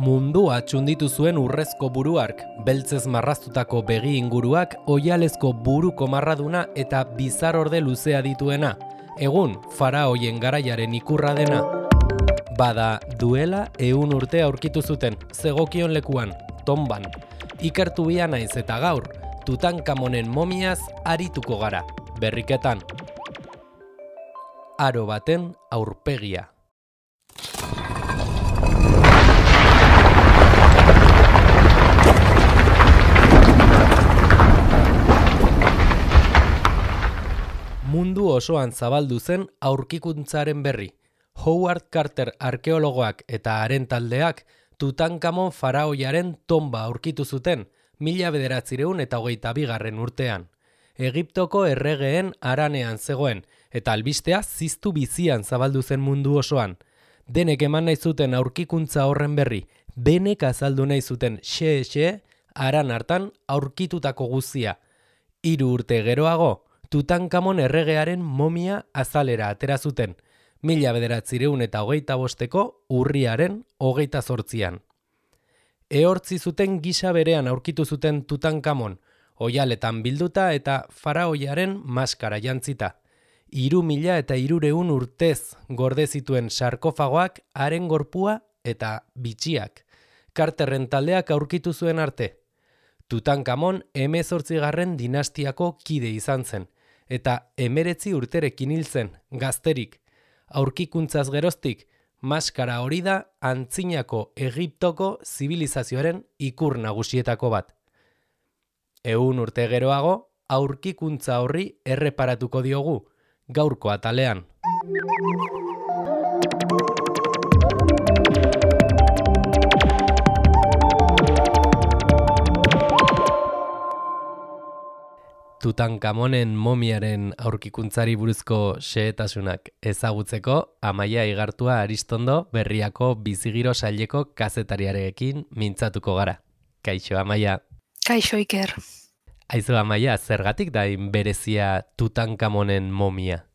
Mundua txunditu zuen urrezko buruark, beltzez marraztutako begi inguruak, oihalezko buruko marraduna eta bizarorde luzea dituena. Egun, faraoien garaiaren ikurra dena. Bada, duela 100 urte aurkitu zuten, zegokion lekuan, Tomban. Ikertu bia naiz eta gaur, Tutankamonen momiaz arituko gara, berriketan. Aro baten aurpegia. Mundu osoan zabaldu zen aurkikuntzaren berri. Howard Carter arkeologoak eta haren taldeak Tutankamon faraoiaren tomba aurkitu zuten 1922 urtean. Egiptoko erregeen haranean zegoen eta albistea ziztu bizian zabaldu zen mundu osoan. Denek eman nahi zuten aurkikuntza horren berri, denek azaldu nahi zuten xe haran hartan aurkitutako guzia. 3 urte geroago, Tutankamon erregearen momia azalera atera zuten, 1925ko urriaren 28an. Ehortzi zuten gisa berean aurkitu zuten Tutankamon, oihaletan bilduta eta faraoiaren maskara jantzita. 3300 urtez gorde zituen sarkofagoak, haren gorpua eta bitxiak. Carterren taldeak aurkitu zuen arte. Tutankamon 18. dinastiako kide izan zen, eta 19 urterekin hil zen, gazterik. Aurkikuntzaz geroztik, maskara hori da antzinako Egiptoko zibilizazioaren ikur nagusietako bat. 100 urte geroago, aurkikuntza horri erreparatuko diogu, gaurko atalean. Tutankamonen momiaren aurkikuntzari buruzko xehetasunak ezagutzeko, Amaia Igartua Aristondo Berriako Bizigiro saileko kazetariarekin mintzatuko gara. Kaixo, Amaia. Kaixo, Iker. Aizu, Amaia, zergatik da berezia Tutankamonen momia?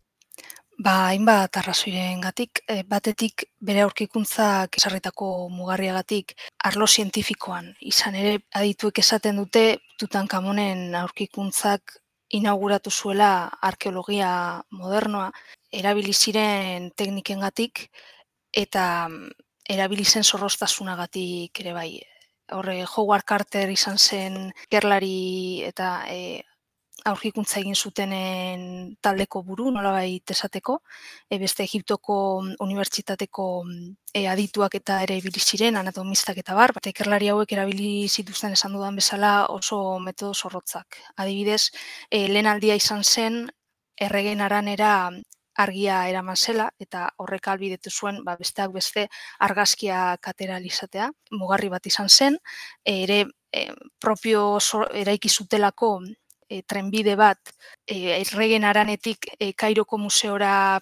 Hainbat arrazoirengatik, batetik bere aurkikuntzak esarritako mugarriagatik arlo zientifikoan. Izan ere, adituek esaten dute Tutankamonen aurkikuntzak inauguratu zuela arkeologia modernoa, erabili ziren teknikengatik eta erabili zen zorroztasunagatik ere bai. Horre, Howard Carter izan zen ikerlari eta aurkikuntza egin zutenen taldeko buru, nolabait esateko, beste Egiptoko unibertsitateko adituak eta ere ibili ziren, anatomistak eta bar, eta ikerlari hauek erabili zituzten esan dudan bezala oso metodo zorrotzak. Adibidez, lehen aldia izan zen, erregen haranera argia eraman zela, eta horrek ahalbidetu zuen besteak beste argazkiak atera izatea. Mugarri bat izan zen, ere propio eraiki zutelako trenbide bat erregen haranetik Kairoko museora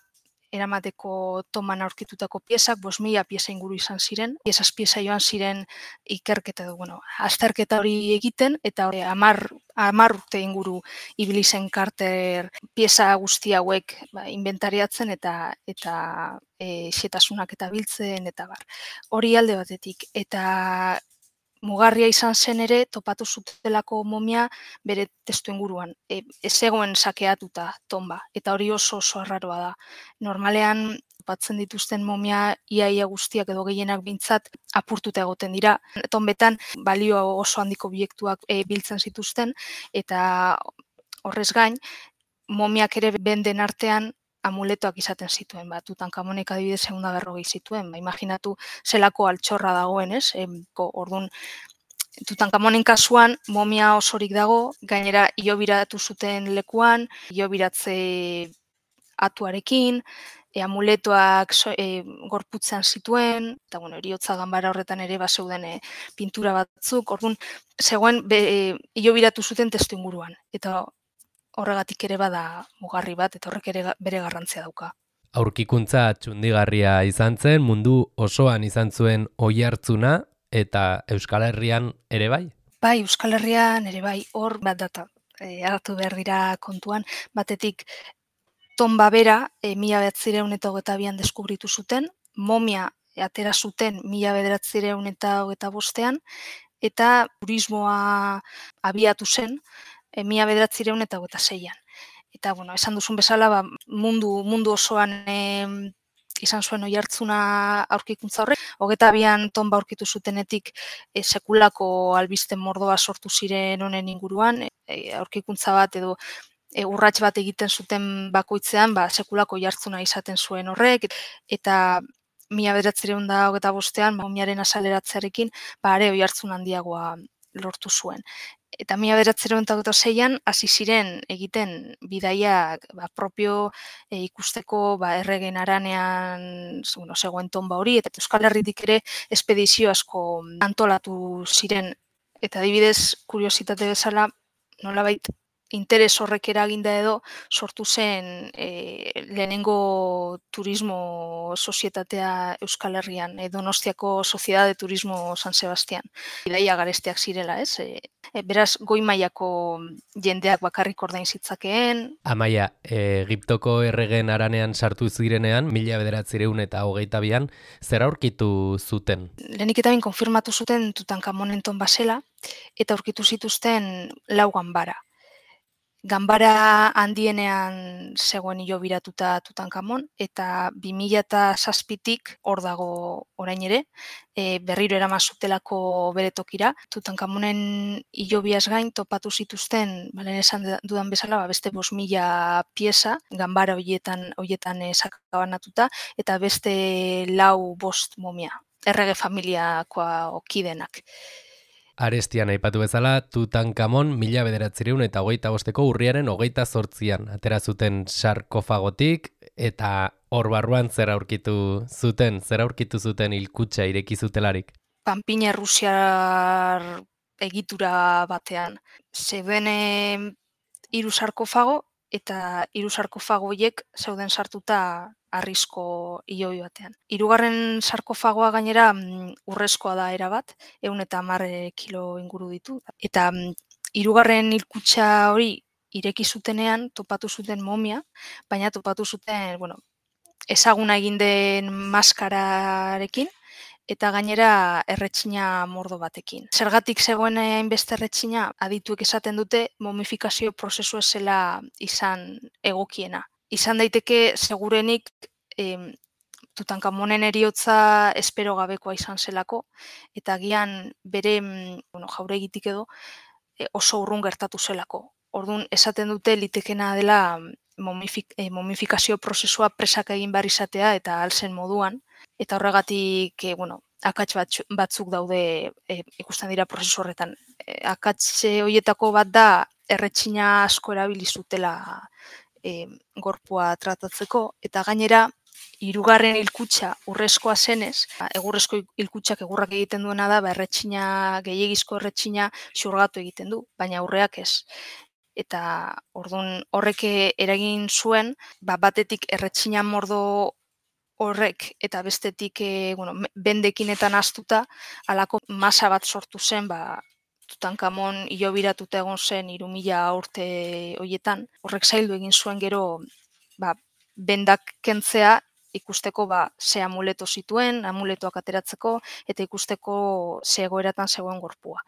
eramateko toman aurkitutako piezak, 5.000 pieza inguru izan ziren. Pieza joan ziren ikerketa azterketa hori egiten, eta 10 urte inguru ibili zen Carter pieza guzti hauek inventariatzen eta xetasunak eta biltzen eta bar. Hori alde batetik, eta mugarria izan zen ere, topatu zutelako momia bere testu inguruan. Ez zegoen sakeatuta tomba, eta hori oso arraroa da. Normalean, topatzen dituzten momia iaia guztiak edo gehienak bintzat apurtuta egoten dira. Tombetan, balio oso handiko obiektuak biltzen zituzten, eta horrez gain, momiak ere benden artean amuletoak izaten zituen. Tutankamonek adibidez 240 zituen. Imaginatu zelako altxorra dagoen, ez? Orduan, Tutankamonen kasuan momia osorik dago, gainera hilobiratu zuten lekuan, hilobiratze atuarekin, amuletoak gorputzean zituen, eta heriotza ganbara horretan ere zeuden pintura batzuk, orduan, zegoen hilobiratu zuten testu inguruan, eta horregatik ere bada mugarri bat, eta horrek ere bere garrantzia dauka. Aurkikuntza txundigarria izan zen, mundu osoan izan zuen oihartzuna, eta Euskal Herrian ere bai? Bai, Euskal Herrian ere bai, hor bat data, hartu behar dira kontuan, batetik tomba bera 1922an deskubritu zuten, momia atera zuten 1925ean, eta turismoa abiatu zen 1926ean. Eta, bueno, esan duzun bezala, mundu osoan izan zuen oihartzuna aurkikuntza horrek. 22 tonba aurkitu zutenetik sekulako albiste mordoa sortu ziren honen inguruan, aurkikuntza bat edo urrats bat egiten zuten bakoitzean, sekulako oihartzuna izaten zuen horrek, eta 1925ean momiaren azaleratzearekin are oihartzun handiagoa lortu zuen. Eta 1926ean hasi ziren egiten bidaiak propio ikusteko erregen haranean zegoen tonba hori, eta Euskal Herritik ere espedizio asko antolatu ziren. Eta adibidez, kuriositate bezala, nolabait interes horrek eraginda edo sortu zen lehenengo turismo sozietatea Euskal Herrian, Donostiako Sociedad de Turismo San Sebastián. Bidaia garestiak zirela, ez? Beraz, goi mailako jendeak bakarrik ordain zitzakeen. Amaia, Egiptoko erregen haranean sartu zirenean, 1922an, zer aurkitu zuten? Lehenik eta behin konfirmatu zuten Tutankamonen tonba zela, eta aurkitu zituzten 4 ganbara. Ganbara handienean zegoen hilobiratuta Tutankamon, eta 2007tik hor dago orain ere, berriro eraman zutelako bere tokira. Tutankamonen hilobiaz gain topatu zituzten, lehen esan dudan bezala, beste 5.000 pieza, ganbara horietan sakabanatuta, eta beste 4-5 momia, errege familiakoa okidenak. Arestian aipatu bezala, Tutankamon 1925ko urriaren 28an atera zuten sarkofagotik, eta hor barruan zer aurkitu zuten hilkutxa ireki zutelarik? Panpina errusiar egitura batean. Zeuden 3 sarkofago, eta 3 sarkofago horiek zeuden sartuta harrizko hilobi batean. 3. sarkofagoa gainera urrezkoa da erabat, 110 kilo inguru ditu. Eta 3. hilkutxa hori ireki zutenean topatu zuten momia, baina topatu zuten, ezaguna egin den maskararekin, eta gainera erretxina mordo batekin. Zergatik zegoen hainbeste erretxina, adituek esaten dute momifikazio prozesu zela izan egokiena. Izan daiteke segurenik Tutankamonen heriotza espero gabekoa izan zelako, eta agian bere jauregitik edo oso urrun gertatu zelako. Orduan esaten dute litekena dela momifikazio prozesua presak egin behar izatea eta alzen moduan, eta horregatik akats batzuk daude ikusten dira prozesu horretan. Akats horietako bat da erretxina asko erabili zutela gorpua tratatzeko, eta gainera 3. hilkutxa urrezkoa zenez, egurrezko hilkutxak egurrak egiten duena da, erretxina, gehiegizko erretxina xurgatu egiten du, baina aurreak ez. Eta orduan horrek eragin zuen, batetik erretxina mordo horrek eta bestetik bendekin eta nahastuta halako masa bat sortu zen, Tutankamon hilobiratuta egon zen 3.000 urte horietan. Horrek zaildu egin zuen gero bendak kentzea, ikusteko ze amuleto zituen, amuletoak ateratzeko, eta ikusteko ze egoeratan zegoen gorpua.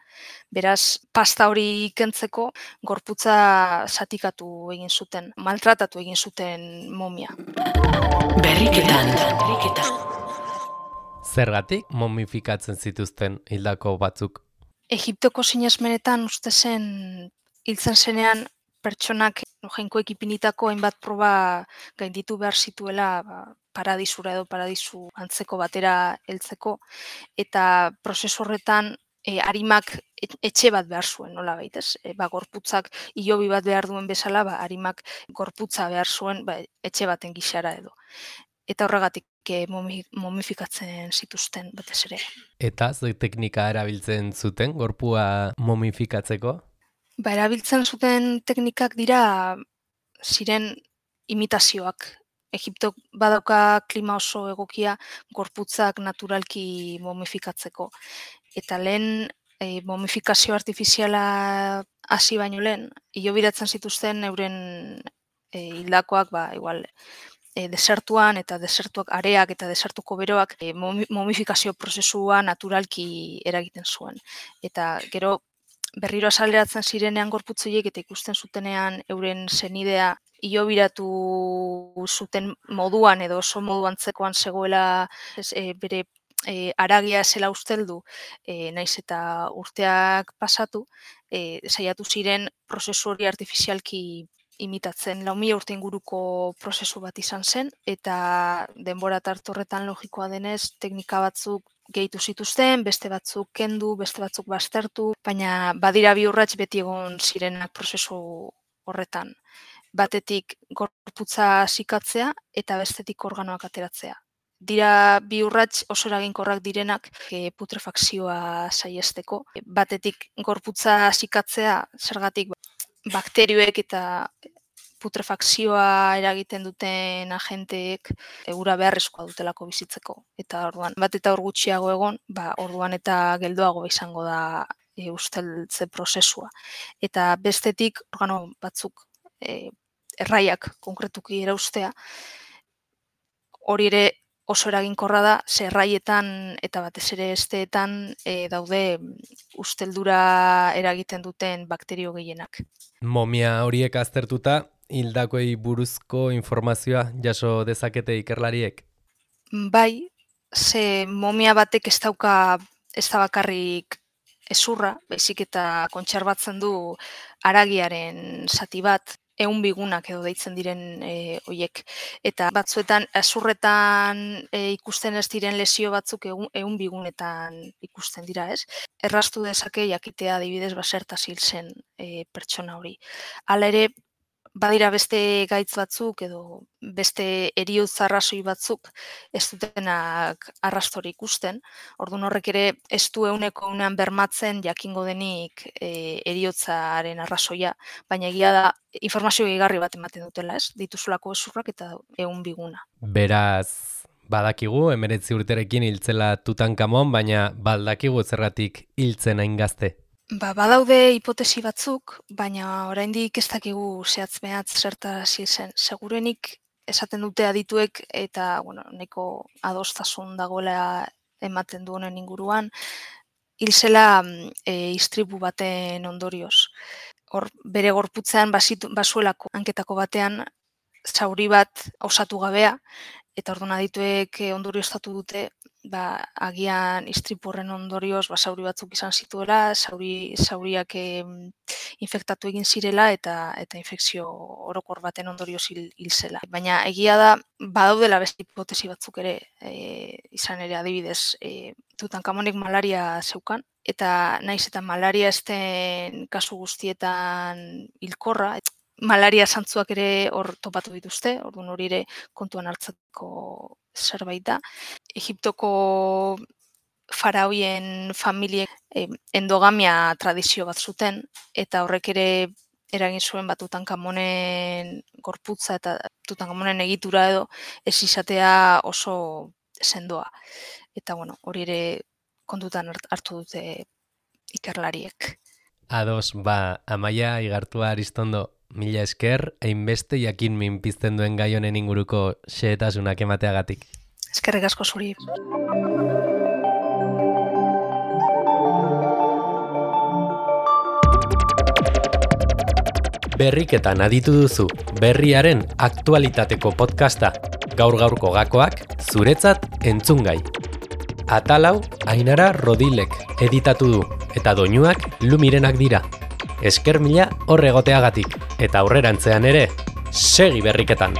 Beraz, pasta hori kentzeko gorputza zatikatu egin zuten, maltratatu egin zuten momia. Berriketan. Zergatik momifikatzen zituzten hildako batzuk? Egiptoko sinesmenetan uste zen hiltzen zenean pertsonak jainkoek ipinitako hainbat proba gainditu behar zituela paradisura edo paradisu antzeko batera heltzeko, eta prozesu horretan arimak etxe bat behar zuen, nolabait, ez? Gorputzak hilobi bat behar duen bezala, arimak gorputza behar zuen etxe baten gixara edo. Eta horregatik momifikatzen zituzten batez ere. Eta ze teknika erabiltzen zuten gorpua momifikatzeko? Erabiltzen zuten teknikak ziren imitazioak. Egiptok badauka klima oso egokia gorputzak naturalki momifikatzeko. Eta lehen momifikazio artifiziala hasi baino lehen, hilobiratzen zituzten euren hildakoak igual desertuan eta desertuak areak eta desertuko beroak momifikazio prozesua naturalki eragiten zuen. Eta gero berriro azaleratzen zirenean gorputz horiek eta ikusten zutenean euren senidea hilobiratu zuten moduan edo oso modu antzekoan zegoela bere haragia zela usteldu, naiz eta urteak pasatu, saiatu ziren prozesu hori artifizialki imitatzen. 4.000 urte inguruko prozesu bat izan zen, eta denbora tarte horretan logikoa denez, teknika batzuk gehitu zituzten, beste batzuk kendu, beste batzuk baztertu, baina badira bi urrats beti egon zirenak prozesu horretan. Batetik gorputza zikatzea eta bestetik organoak ateratzea. Dira bi urrats oso eraginkorrak direnak putrefakzioa saihesteko. Batetik gorputza zikatzea, zergatik bakterioek eta putrefakzioa eragiten duten agenteek ura beharrezkoa dutelako bizitzeko. Eta orduan, bat eta hor gutxiago egon, orduan eta geldoago izango da usteltze prozesua. Eta bestetik organo batzuk erraiak konkretuki eraustea, hori ere oso eraginkorra da, ze erraietan eta batez ere hesteetan daude usteldura eragiten duten bakterio gehienak. Momia horiek aztertuta, hildakoei buruzko informazioa jaso dezakete ikerlariek? Bai, ze momia batek ez da bakarrik ezurra, baizik eta kontserbatzen du haragiaren zati bat, 100 bigunak edo deitzen diren hoiek. Eta batzuetan, ezurretan ikusten ez diren lesio batzuk 100 bigunetan ikusten dira, ez? Erraztu dezake jakitea adibidez zertaz hil zen pertsona hori. Hala ere, badira beste gaitz batzuk edo beste heriotza arrazoi batzuk ez dutenak arrastori ikusten. Orduan horrek ere ez du 100% bermatzen jakingo denik heriotzaren arrazoia, baina egia da informazio gehigarri bat ematen dutela, ez? Dituzulako ezurrak eta 100 biguna. Beraz, badakigu 19 urterekin hiltzela Tutankamon, baina baldakigu zergatik hiltzen hain gazte. Badaude hipotesi batzuk, baina oraindik ez dakigu zehatz-mehatz zertaz hil zen. Segurenik esaten dute adituek eta nahiko adostasun dagoela ematen du honen inguruan, hil zela istripu baten ondorioz. Hor bere gorputzean bazuelako hanketako batean zauri bat osatu gabea, eta orduan adituek ondorioztatu dute agian istripu horren ondorioz zauri batzuk izan zituela, zauriak infektatu egin zirela eta infekzio orokor baten ondorioz hil zela. Baina egia da, badaudela beste hipotesi batzuk ere, izan ere adibidez, Tutankamonek malaria zeukan, eta naiz eta malaria ez den kasu guztietan hilkorra, malaria zantzuak ere hor topatu dituzte, orduan hori ere kontuan hartzeko zerbait da. Egiptoko faraoien familiek endogamia tradizio bat zuten, eta horrek ere eragin zuen Tutankamonen gorputza eta Tutankamonen egitura edo ez izatea oso sendoa. Eta hori ere kontutan hartu dute ikerlariek. Ados, Amaia Igartua Aristondo, mila esker, hainbeste jakin minpizten duen gai honen inguruko xehetasunak emateagatik. Eskerrik asko zuri. Berriketan aditu duzu, berriaren aktualitateko podcasta, gaur-gaurko gakoak, zuretzat entzungai. Atalau, Ainara Rodilek editatu du, eta doinuak Lumirenak dira. Esker mila hor egoteagatik, eta aurrerantzean ere, segi berriketan!